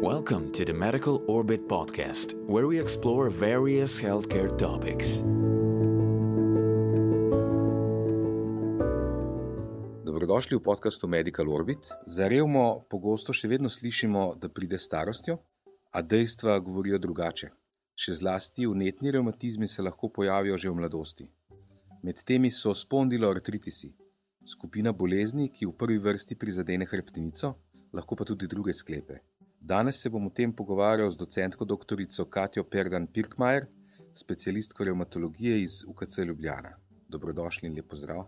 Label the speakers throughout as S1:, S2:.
S1: Welcome to the Medical Orbit podcast, where we explore various healthcare topics.
S2: Dobrodošli v podcastu Medical Orbit. Za revmo pogosto še vedno slišimo, da pride s starostjo, a dejstva govorijo drugače. Še zlasti vnetni revmatizmi se lahko pojavijo že v mladosti. Med temi so spondiloartritisi, skupina bolezni, ki v prvi vrsti prizadene hrbtenico, lahko pa tudi druge sklepe. Danes se bom o tem pogovarjal z docentko doktorico Katjo Perdan-Pirkmajer, specialistko revmatologije iz UKC Ljubljana. Dobrodošli in lep pozdrav.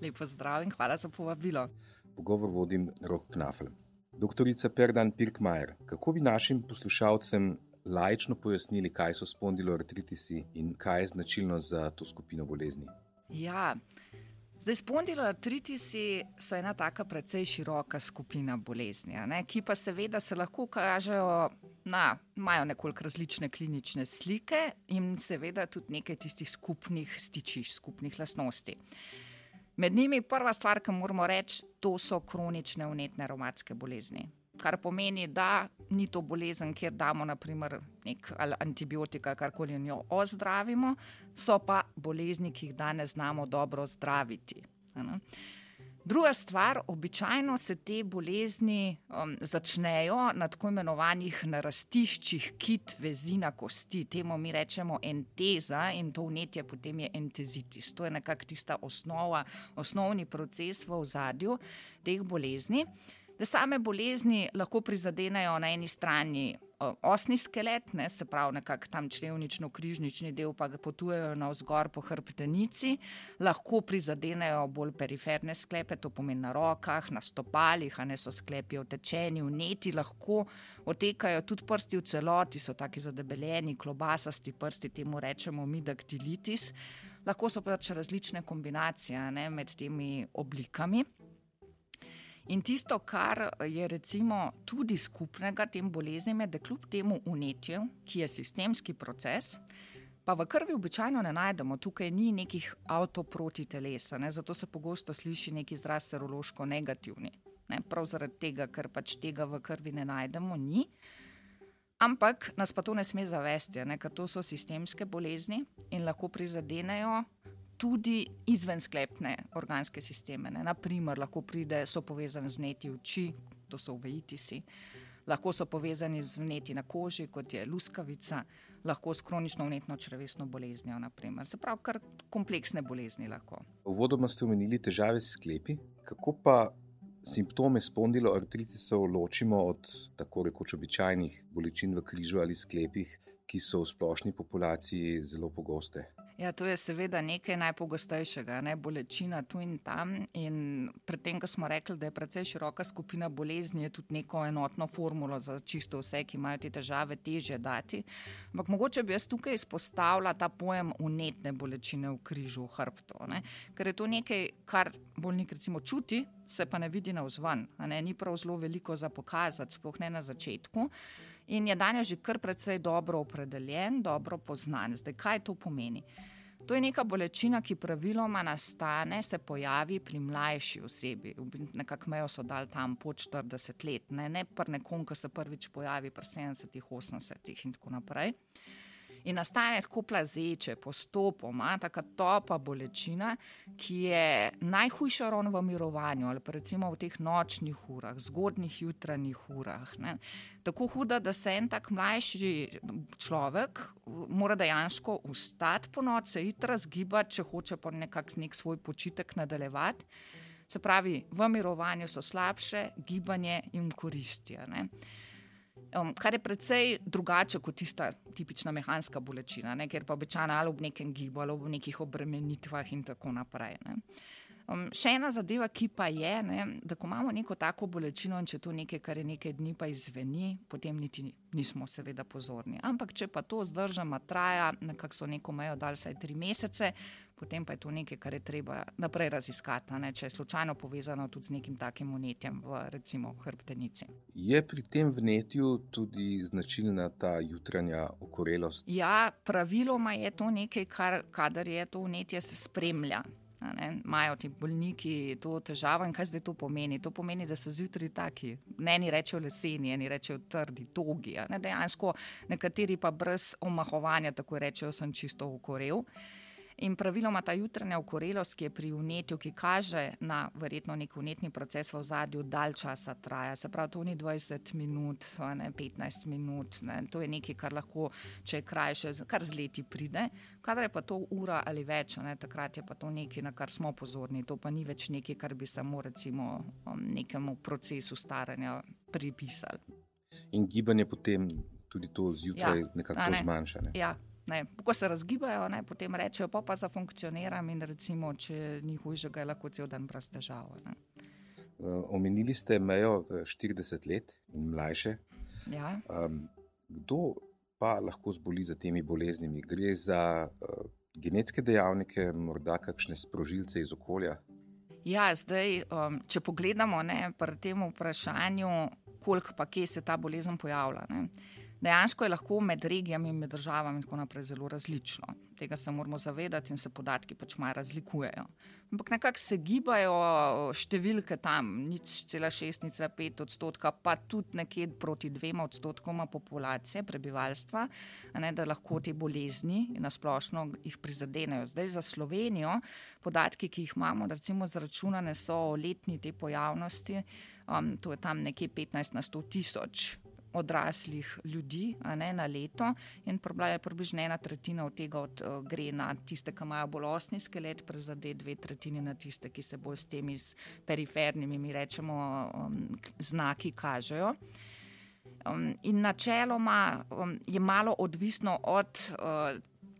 S3: Lep pozdrav in hvala za povabilo.
S2: Pogovor vodim Rok Knafel. Doktorica Perdan-Pirkmajer, kako bi našim poslušalcem laično pojasnili, kaj so spondiloartritisi in kaj je značilno za to skupino bolezni?
S3: Zdaj, spondiloartritisi so ena taka precej široka skupina bolezni, ki pa seveda se lahko kažejo imajo nekoliko različne klinične slike in seveda tudi nekaj tistih skupnih stičišč, skupnih lastnosti. Med njimi prva stvar, ki moramo reči, to so kronične vnetne revmatske bolezni. Kar pomeni, da ni to bolezen, kjer damo naprimer nek antibiotik ali karkoli in jo ozdravimo, so pa bolezni, ki jih danes znamo dobro zdraviti. Druga stvar, običajno se te bolezni začnejo na tako imenovanih narastiščih kit vezina kosti. Temu mi rečemo enteza in to vnetje potem je entezitis. To je nekako tista osnovni proces v ozadju teh bolezni. Da same bolezni lahko prizadenejo na eni strani osni skelet, se pravi nekako tam črevnično-križnični del, pa ga potujejo navzgor po hrbtenici, lahko prizadenejo bolj periferne sklepe, to pomeni na rokah, na stopalih, so sklepi otečeni, vneti, lahko otekajo tudi prsti v celoti, so taki zadebeljeni, klobasasti prsti, temu rečemo midaktilitis, lahko so pač različne kombinacije med temi oblikami. In tisto, kar je recimo tudi skupnega tem boleznim, je, da kljub temu vnetju, ki je sistemski proces, pa v krvi običajno ne najdemo, tukaj ni nekih avtoprotiteles, zato se pogosto sliši neki izraz serološko negativni. Prav zaradi tega, ker pač tega v krvi ne najdemo, ni. Ampak nas pa to ne sme zavesti, ker to so sistemske bolezni in lahko prizadenejo tudi izvensklepne organske sisteme. Naprimer, lahko so povezani z vnetji oči, to so uveitisi, lahko so povezani z vnetji na koži, kot je luskavica, lahko s kronično vnetno črevesno boleznijo, naprimer. Se pravi, kar kompleksne bolezni lahko.
S2: Uvodoma ste omenili težave s sklepi. Kako pa simptome spondiloartritisov ločimo od tako rekoč običajnih bolečin v križu ali sklepih, ki so v splošni populaciji zelo pogoste?
S3: To je seveda nekaj najpogostejšega, bolečina tu in tam in pred tem, ko smo rekli, da je precej široka skupina bolezni, je tudi neko enotno formulo za čisto vse, ki imajo te težave, težje dati. Ampak mogoče bi jaz tukaj izpostavila ta pojem vnetne bolečine v križu, v hrbtu, ker je to nekaj, kar bolnik recimo čuti, se pa ne vidi navzven, ni prav zelo veliko za pokazati, sploh ne na začetku. In je danes že kar precej dobro opredeljen, dobro poznan. Zdaj, kaj to pomeni? To je neka bolečina, ki praviloma nastane, se pojavi pri mlajši osebi. Nekako mejo so dali tam pod 40 let, ne pri nekom, ki se prvič pojavi pri 70, 80 in tako naprej. In nastane tako plazeče, postopoma, taka topa bolečina, ki je najhujša ravno v mirovanju ali pa recimo v teh nočnih urah, zgodnjih jutranjih urah. Tako huda, da se en tak mlajši človek mora dejansko vstati po noč, se iti razgibati, če hoče pa nek svoj počitek nadaljevati. Se pravi, v mirovanju so slabše, gibanje jim koristi. Kar je precej drugače kot tista tipična mehanska bolečina, ker pa običajno ali ob nekem gibu ali ob nekih obremenitvah in tako naprej. Še ena zadeva, ki pa je, da ko imamo neko tako bolečino in če to nekaj, kar je nekaj dni pa izveni, potem niti nismo seveda pozorni. Ampak če pa to zdržama traja, nekako so neko mejo dali vsaj 3 mesece, potem pa je to nekaj, kar je treba naprej raziskati, če je slučajno povezano tudi z nekim takim vnetjem v recimo hrbtenici.
S2: Je pri tem vnetju tudi značilna ta jutranja okorelost?
S3: Ja, praviloma je to nekaj, kadar je to vnetje se spremlja. Imajo ti bolniki to težavo in kaj zdaj to pomeni? To pomeni, da so zjutraj taki, eni rečejo leseni, eni rečejo trdi, togi, dejansko nekateri pa brez omahovanja tako rečejo, sem čisto okorel. In praviloma ta jutranja okorelost, ki je pri vnetju, ki kaže na verjetno nek vnetni proces v ozadju, dalj časa traja. Se pravi, to ni 20 minut, 15 minut, to je nekaj, kar lahko, če je krajše, kar z leti pride. Kadar je pa to ura ali več, takrat je pa to nekaj, na kar smo pozorni. To pa ni več nekaj, kar bi samo recimo nekemu procesu staranja pripisali.
S2: In gibanje potem tudi to zjutraj nekako zmanjša.
S3: Ja. Ko se razgibajo, potem rečejo, pa zafunkcioniram in recimo, če ni hujšega, je lahko cel dan brez težav.
S2: Omenili ste mejo 40 let in mlajše.
S3: Ja.
S2: Kdo pa lahko zboli za temi boleznimi? Gre za genetske dejavnike, morda kakšne sprožilce iz okolja?
S3: Ja, zdaj, če pogledamo pri tem vprašanju, koliko pa kje se ta bolezen pojavlja. Dejansko je lahko med regijami in med državami in tako naprej zelo različno. Tega se moramo zavedati in se podatki pač malo razlikujejo. Ampak nekako se gibajo številke tam, 0,6, 0,5%, pa tudi nekje proti 2% populacije, prebivalstva, da lahko te bolezni na splošno jih prizadenejo. Zdaj za Slovenijo podatki, ki jih imamo, recimo zračunane so letni te pojavnosti, to je tam nekje 15 na 100 tisoč odraslih ljudi na leto in približno 1/3 od tega gre na tiste, ki imajo bolj osni skelet, prizadet 2/3 na tiste, ki se bolj s temi perifernimi, mi rečemo, znaki kažejo. In načeloma je malo odvisno od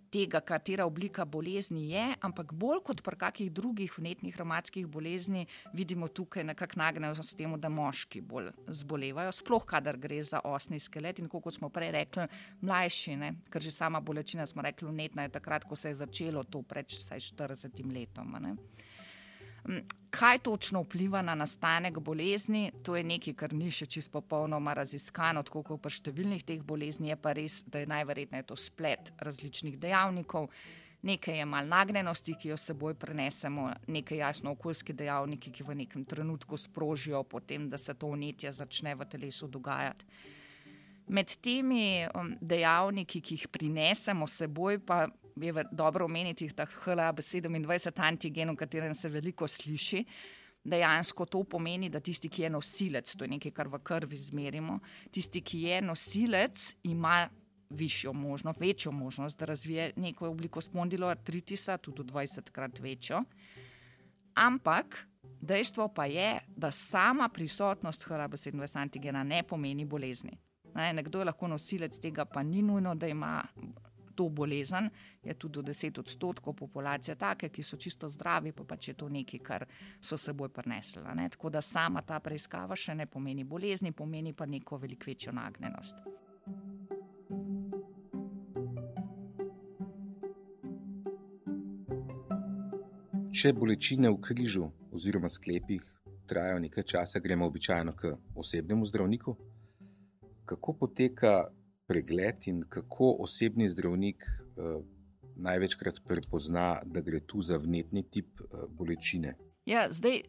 S3: tega, katera oblika bolezni je, ampak bolj kot pri kakih drugih vnetnih revmatskih bolezni vidimo tukaj nekako nagnjenost s temu, da moški bolj zbolevajo, sploh kadar gre za osni skelet in kot smo prej rekli, mlajši, ker že sama bolečina, smo rekli, vnetna je takrat, ko se je začelo to pred vsaj 40 letom. Kaj točno vpliva na nastanek bolezni, to je nekaj, kar ni še čisto popolnoma raziskano, tako kot pri številnih teh bolezni, je pa res, da je najverjetneje to splet različnih dejavnikov. Nekaj je malo nagnjenosti, ki jo seboj prenesemo, nekaj jasno okoljski dejavniki, ki v nekem trenutku sprožijo potem, da se to vnetje začne v telesu dogajati. Med temi dejavniki, ki jih prinesemo seboj, pa je dobro omeniti ta HLA-B27 antigen, o katerem se veliko sliši. Dejansko to pomeni, da tisti, ki je nosilec, to je nekaj, kar v krvi zmerimo, tisti, ki je nosilec, ima večjo možnost, da razvije neko obliko spondiloartritisa, tudi 20-krat večjo. Ampak dejstvo pa je, da sama prisotnost HLA-B27 antigena ne pomeni bolezni. Nekdo je lahko nosilec tega, pa ni nujno, da ima to bolezen, je tudi do 10% populacije take, ki so čisto zdravi, pa pač je to nekaj, kar so seboj prinesli. Tako da sama ta preiskava še ne pomeni bolezni, pomeni pa neko veliko večjo nagnjenost.
S2: Če bolečine v križu oziroma sklepih trajajo nekaj časa, gremo običajno k osebnemu zdravniku. Kako poteka pregled in kako osebni zdravnik največkrat prepozna, da gre tu za vnetni tip bolečine?
S3: Ja, zdaj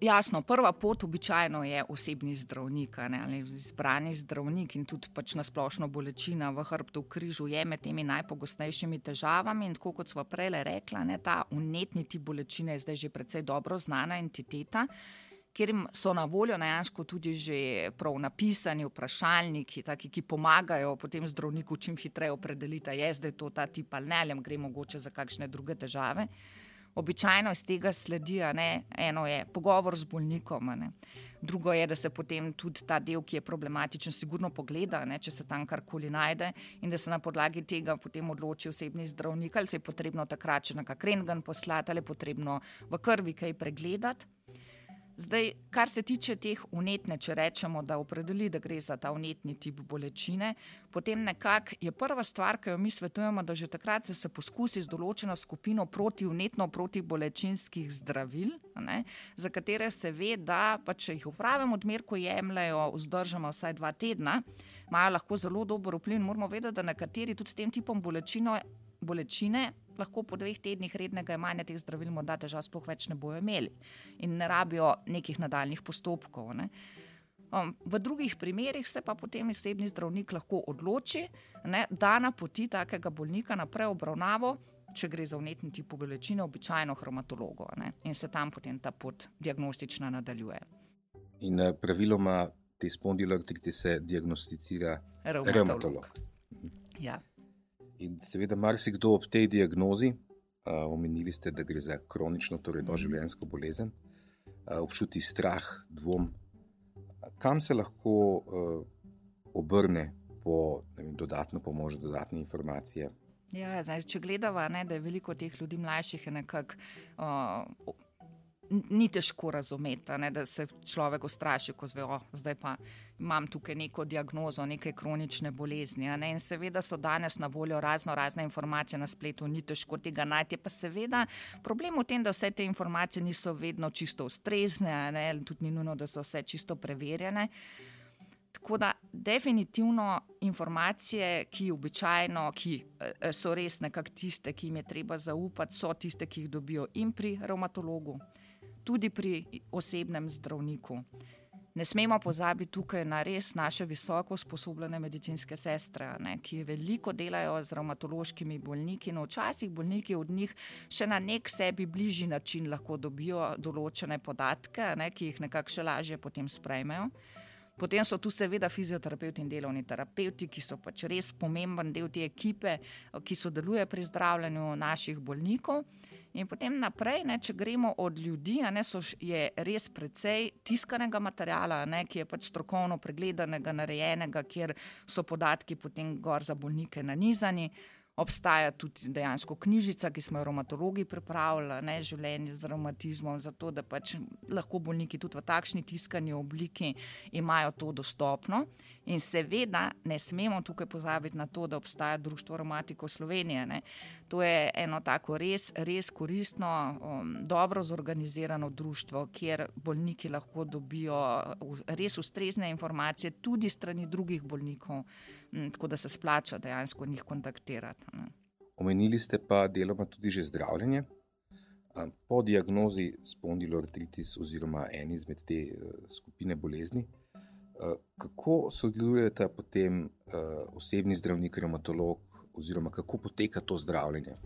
S3: jasno, prva pot običajno je osebni zdravnik, ali izbrani zdravnik in tudi pač na splošno bolečina v hrbtu v križu je med temi najpogostejšimi težavami in tako kot sva prej rekla, ta vnetni tip bolečine je zdaj že precej dobro znana entiteta, kjer so na voljo dejansko tudi že prav napisani vprašalniki, taki, ki pomagajo potem zdravniku čim hitreje opredeliti, je zdaj to ta tip ali ne, ali gre mogoče za kakšne druge težave. Običajno iz tega sledi, eno je pogovor z bolnikom, drugo je, da se potem tudi ta del, ki je problematičen, sigurno pogleda, če se tam karkoli najde in da se na podlagi tega potem odloči osebni zdravnik, ali se je potrebno takrat še na kak rentgen poslati, ali je potrebno v krvi kaj pregledati. Zdaj, kar se tiče teh vnetne, če rečemo, da opredeli, da gre za ta vnetni tip bolečine, potem nekako je prva stvar, ki jo mi svetujemo, da že takrat se poskusi z določeno skupino protibolečinskih zdravil, za katere se ve, da pa če jih v pravem odmerku jemljajo vzdržoma vsaj 2 tedna, imajo lahko zelo dober vpliv in moramo vedeti, da nekateri tudi s tem tipom bolečine lahko po 2 tednih rednega jemanja teh zdravil morda težav sploh več ne bojo imeli in ne rabijo nekih nadaljnih postopkov. Ne. V drugih primerih se pa potem osebni zdravnik lahko odloči, ne, da napoti takega bolnika naprej obravnavo, če gre za vnetni tip bolečine, običajno revmatologu, ne, in se tam potem ta pot diagnostična nadaljuje.
S2: In praviloma te spondiloartritise diagnosticira revmatolog.
S3: Ja.
S2: In seveda marsikdo ob tej diagnozi, omenili ste, da gre za kronično, torej doživljenjsko bolezen, občuti strah, dvom. Kam se lahko obrne po dodatno pomoč, dodatne informacije?
S3: Ja, zdaj, če gledava, ne, da je veliko teh ljudi mlajših, je nekako ni težko razumeti, ne, da se človek ustraši, ko zve, zdaj pa imam tukaj neko diagnozo, neke kronične bolezni. Ne, in seveda so danes na voljo razne informacije na spletu, ni težko tega najti. Pa seveda problem v tem, da vse te informacije niso vedno čisto ustrezne, ne, tudi ni nujno, da so vse čisto preverjene. Tako da definitivno informacije, ki so res nekako tiste, ki jim je treba zaupati, so tiste, ki jih dobijo in pri revmatologu, tudi pri osebnem zdravniku. Ne smemo pozabiti tukaj na res naše visoko usposobljene medicinske sestre, ne, ki veliko delajo z revmatološkimi bolniki, no včasih bolniki od njih še na nek sebi bližji način lahko dobijo določene podatke, ne, ki jih nekako še lažje potem sprejmejo. Potem so tu seveda fizioterapevti in delovni terapevti, ki so pač res pomemben del te ekipe, ki sodeluje pri zdravljenju naših bolnikov. In potem naprej, ne, če gremo od ljudi, ne, je res precej tiskanega materiala, ne, ki je pač strokovno pregledanega, narejenega, kjer so podatki potem gor za bolnike nanizani. Obstaja tudi dejansko knjižica, ki smo jo revmatologi pripravili, ne, življenje z revmatizmom, zato da pač lahko bolniki tudi v takšni tiskani obliki imajo to dostopno. In seveda ne smemo tukaj pozabiti na to, da obstaja Društvo revmatikov Slovenije. Ne. To je eno tako res koristno, dobro zorganizirano društvo, kjer bolniki lahko dobijo res ustrezne informacije tudi strani drugih bolnikov, tako da se splača dejansko njih kontaktirati. Ne.
S2: Omenili ste pa deloma tudi že zdravljenje. Po diagnozi spondiloartritis oziroma eni izmed te skupine bolezni, kako sodelujeta potem osebni zdravnik, revmatolog oziroma kako poteka to zdravljenje?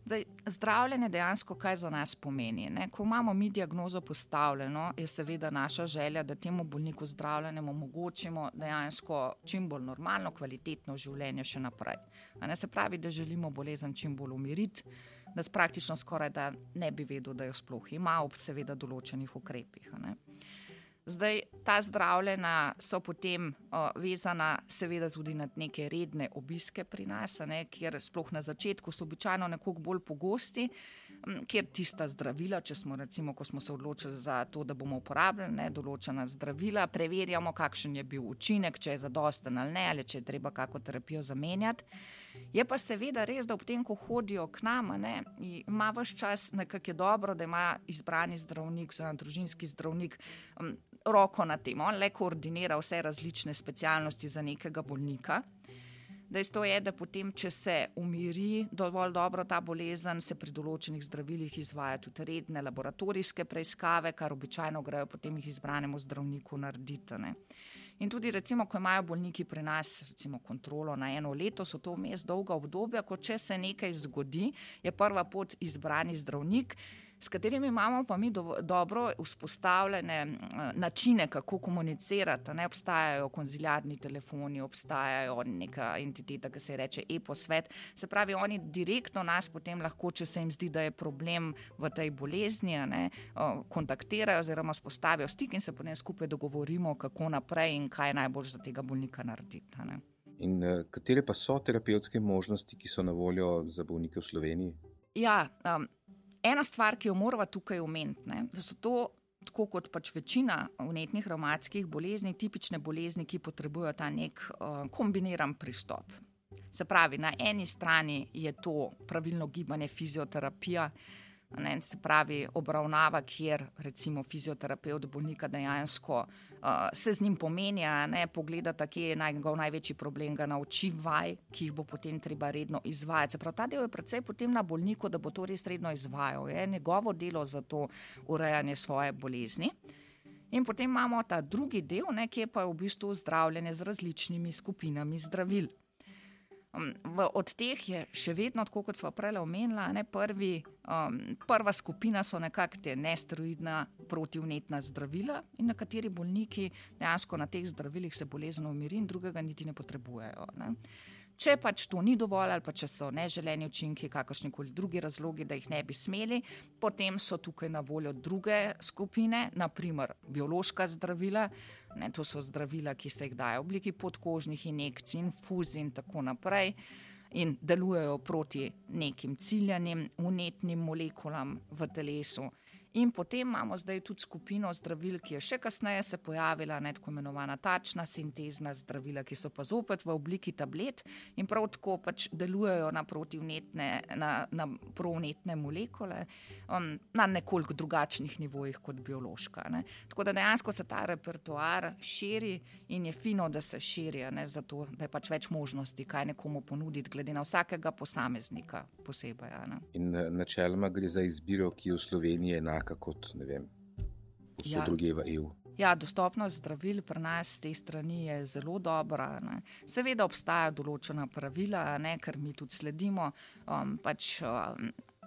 S3: Zdaj, zdravljenje dejansko kaj za nas pomeni. Ne? Ko imamo mi diagnozo postavljeno, je seveda naša želja, da temu bolniku zdravljenjem omogočimo dejansko čim bolj normalno, kvalitetno življenje še naprej. Se pravi, da želimo bolezen čim bolj umiriti, da praktično skoraj da ne bi vedel, da jo sploh ima ob seveda določenih ukrepih. Ne? Zdaj, ta zdravljena so potem vezana seveda tudi na neke redne obiske pri nas, ne, kjer sploh na začetku so običajno nekoliko bolj pogosti, kjer tista zdravila, če smo recimo, ko smo se odločili za to, da bomo uporabljali, ne, določena zdravila, preverjamo, kakšen je bil učinek, če je zadosten ali ne, ali če je treba kako terapijo zamenjati. Je pa seveda res, da ob tem, ko hodijo k nama, ne, ima ves čas nekako je dobro, da ima izbrani zdravnik, družinski zdravnik, roko na tem, on le koordinira vse različne specialnosti za nekega bolnika. Dejstvo je, da potem, če se umiri dovolj dobro ta bolezen, se pri določenih zdravilih izvaja tudi redne laboratorijske preiskave, kar običajno grejo potem jih izbranemu zdravniku narediti. Ne. In tudi recimo, ko imajo bolniki pri nas recimo kontrolo na 1 leto, so to vmes dolga obdobja, ko če se nekaj zgodi, je prva pot izbrani zdravnik, s katerimi imamo pa mi dobro vzpostavljene načine, kako komunicirati. Ne obstajajo konziliarni telefoni, obstajajo neka entiteta, ki se reče e-posvet. Se pravi, oni direktno nas potem lahko, če se jim zdi, da je problem v tej bolezni, ne, kontaktirajo oziroma spostavijo stik in se potem skupaj dogovorimo, kako naprej in kaj je najbolj za tega bolnika narediti. Ne.
S2: In katere pa so terapevtske možnosti, ki so na voljo za bolnike v Sloveniji?
S3: Ja, ena stvar, ki jo morava tukaj omeniti, ne, da so to, tako kot pač večina vnetnih revmatskih bolezni, tipične bolezni, ki potrebujejo ta nek kombiniran pristop. Se pravi, na eni strani je to pravilno gibanje, fizioterapija, Se pravi, obravnava, kjer recimo fizioterapevt bolnika dejansko se z njim pomenja, pogledata, kje je njegov največji problem, ga nauči vaj, ki jih bo potem treba redno izvajati. Se pravi, ta del je precej potem na bolniku, da bo to res redno izvajal. Je njegovo delo za to urejanje svoje bolezni. In potem imamo ta drugi del, ki je pa v bistvu zdravljenje z različnimi skupinami zdravil. Od teh je še vedno, tako kot sva prej omenila, prva skupina so nekako te nesteroidna protivnetna zdravila in nekateri bolniki dejansko na teh zdravilih se bolezen umiri in drugega niti ne potrebujejo. Če pač to ni dovolj ali pa če so neželeni učinki, kakršnikoli drugi razlogi, da jih ne bi smeli, potem so tukaj na voljo druge skupine, naprimer biološka zdravila. To so zdravila, ki se jih daje v obliki podkožnih injekcij, infuzij in tako naprej in delujejo proti nekim ciljanim vnetnim molekulam v telesu. In potem imamo zdaj tudi skupino zdravil, ki je še kasneje se pojavila, tako imenovana tačna sintezna zdravila, ki so pa zopet v obliki tablet in prav tako pač delujejo na provnetne molekule na nekoliko drugačnih nivojih kot biološka. Tako da dejansko se ta repertoar širi in je fino, da se širi, zato da je pač več možnosti, kaj nekomu ponuditi, glede na vsakega posameznika posebej.
S2: In načeloma gre za izbiro, ki je v Sloveniji enaka kot, vse druge v EU.
S3: Ja, dostopnost zdravil pri nas z te strani je zelo dobra. Seveda obstajajo določena pravila, ker mi tudi sledimo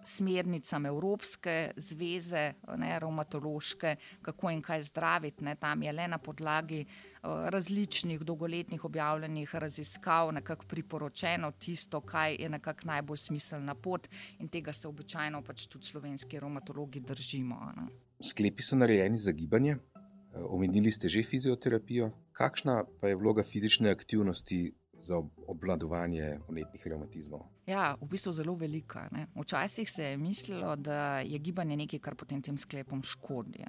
S3: smernicam Evropske zveze, revmatološke, kako in kaj zdraviti. Tam je le na podlagi različnih dolgoletnih objavljenih raziskav nekako priporočeno tisto, kaj je nekako najbolj smiselna pot in tega se običajno pač tudi slovenski revmatologi držimo.
S2: Sklepi so narejeni za gibanje. Omenili ste že fizioterapijo. Kakšna pa je vloga fizične aktivnosti za obvladovanje vnetnih revmatizmov?
S3: Ja, v bistvu zelo velika. Včasih se je mislilo, da je gibanje nekaj, kar potem tem sklepom škodi.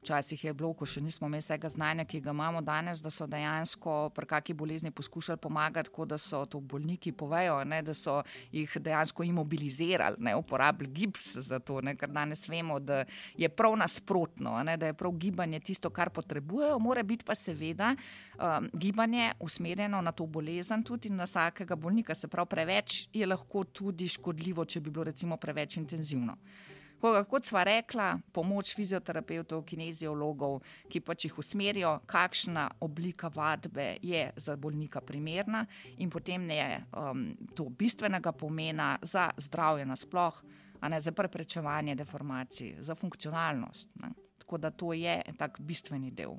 S3: Včasih je bilo, ko še nismo imeli vsega znanja, ki ga imamo danes, da so dejansko pri kakšni bolezni poskušali pomagati, kot da so to bolniki povejo, da so jih dejansko imobilizirali, uporabili gips za to, ker danes vemo, da je prav nasprotno, da je prav gibanje tisto, kar potrebujejo, mora biti pa seveda gibanje usmerjeno na to bolezen tudi na vsakega bolnika, se pravi preveč je lahko tudi škodljivo, če bi bilo recimo preveč intenzivno. Kot sva rekla, pomoč fizioterapevtov, kineziologov, ki pač jih usmerijo, kakšna oblika vadbe je za bolnika primerna in potem je to bistvenega pomena za zdravje nasploh, za preprečevanje deformacij, za funkcionalnost. Tako da to je tak bistveni del.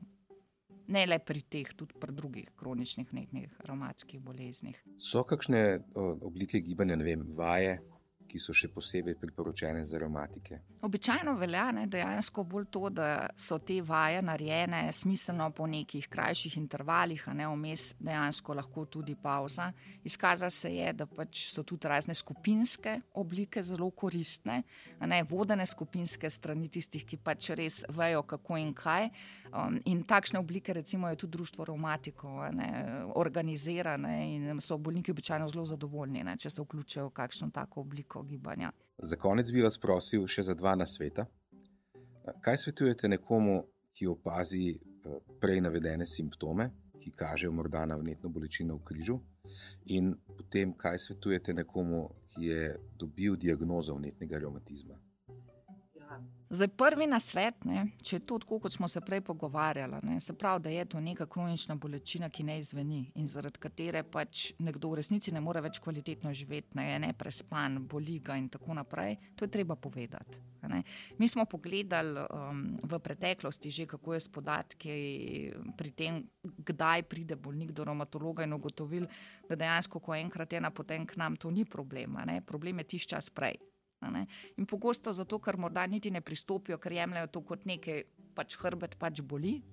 S3: Ne le pri teh, tudi pri drugih kroničnih vnetnih revmatskih boleznih.
S2: So kakšne oblike gibanja, vaje, ki so še posebej priporočene za revmatike?
S3: Običajno velja dejansko bolj to, da so te vaje narejene smiselno po nekih krajših intervalih, vmes dejansko lahko tudi pauza. Izkaza se je, da pač so tudi razne skupinske oblike zelo koristne, vodene skupinske strani tistih, ki pač res vejo, kako in kaj. In takšne oblike recimo je tudi društvo revmatikov organizirane in so bolniki običajno zelo zadovoljni, če se vključijo v kakšno tako obliko gibanja.
S2: Za konec bi vas prosil še za 2 nasveta. Kaj svetujete nekomu, ki opazi prej navedene simptome, ki kažejo morda na vnetno bolečino v križu, in potem kaj svetujete nekomu, ki je dobil diagnozo vnetnega revmatizma?
S3: Zdaj, prvi nasvet, če je to tako, kot smo se prej pogovarjali, se pravi, da je to neka kronična bolečina, ki ne izzveni in zaradi katere pač nekdo v resnici ne more več kvalitetno živeti, je neprespan, boli ga in tako naprej, to je treba povedati. Mi smo pogledali v preteklosti že, kako je s podatki pri tem, kdaj pride bolnik do revmatologa in ugotovili, da dejansko, ko enkrat je napoten k nam, to ni problem. Problem je tisti čas prej. In pogosto zato, ker morda niti ne pristopijo, ker jemljajo to kot nekaj, pač hrbet pač boli.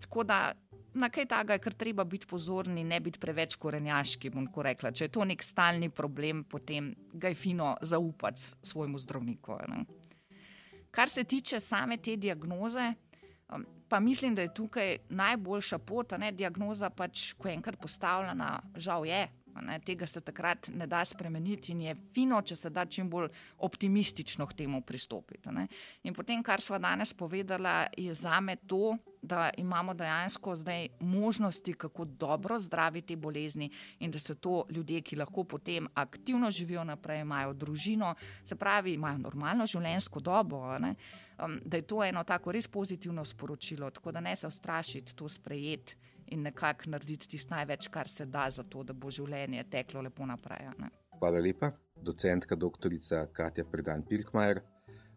S3: Tako da na kaj takega je kar treba biti pozorni, ne biti preveč korenjaški, bom tako rekla. Če je to nek stalni problem, potem ga je fino zaupati svojemu zdravniku. Kar se tiče same te diagnoze, pa mislim, da je tukaj najboljša pot, diagnoza pač, ko je enkrat postavljena, žal je, Tega se takrat ne da spremeniti in je fino, če se da čim bolj optimistično k temu pristopiti. In potem, kar sva danes povedala, je zame to, da imamo dejansko zdaj možnosti, kako dobro zdraviti bolezni in da so to ljudje, ki lahko potem aktivno živijo naprej, imajo družino, se pravi, imajo normalno življenjsko dobo, da je to eno tako res pozitivno sporočilo, tako da ne se ustrašiti, to sprejeti in nekako narediti tisto največ, kar se da za to, da bo življenje teklo lepo naprej.
S2: Hvala lepa, docentka doktorica Katja Predan-Pirkmajer,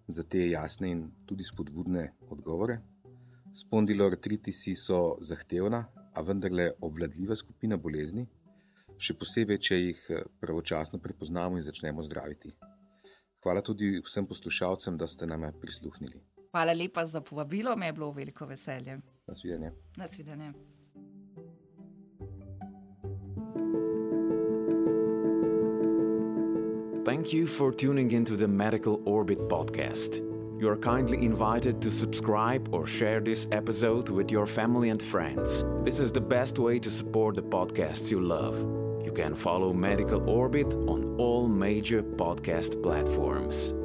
S2: za te jasne in tudi spodbudne odgovore. Spondiloartritisi so zahtevna, a vendarle obvladljiva skupina bolezni, še posebej, če jih pravočasno prepoznamo in začnemo zdraviti. Hvala tudi vsem poslušalcem, da ste nam prisluhnili.
S3: Hvala lepa za povabilo, me je bilo veliko veselje.
S2: Nasvidenje.
S3: Nasvidenje.
S1: Thank you for tuning into the Medical Orbit podcast. You are kindly invited to subscribe or share this episode with your family and friends. This is the best way to support the podcasts you love. You can follow Medical Orbit on all major podcast platforms.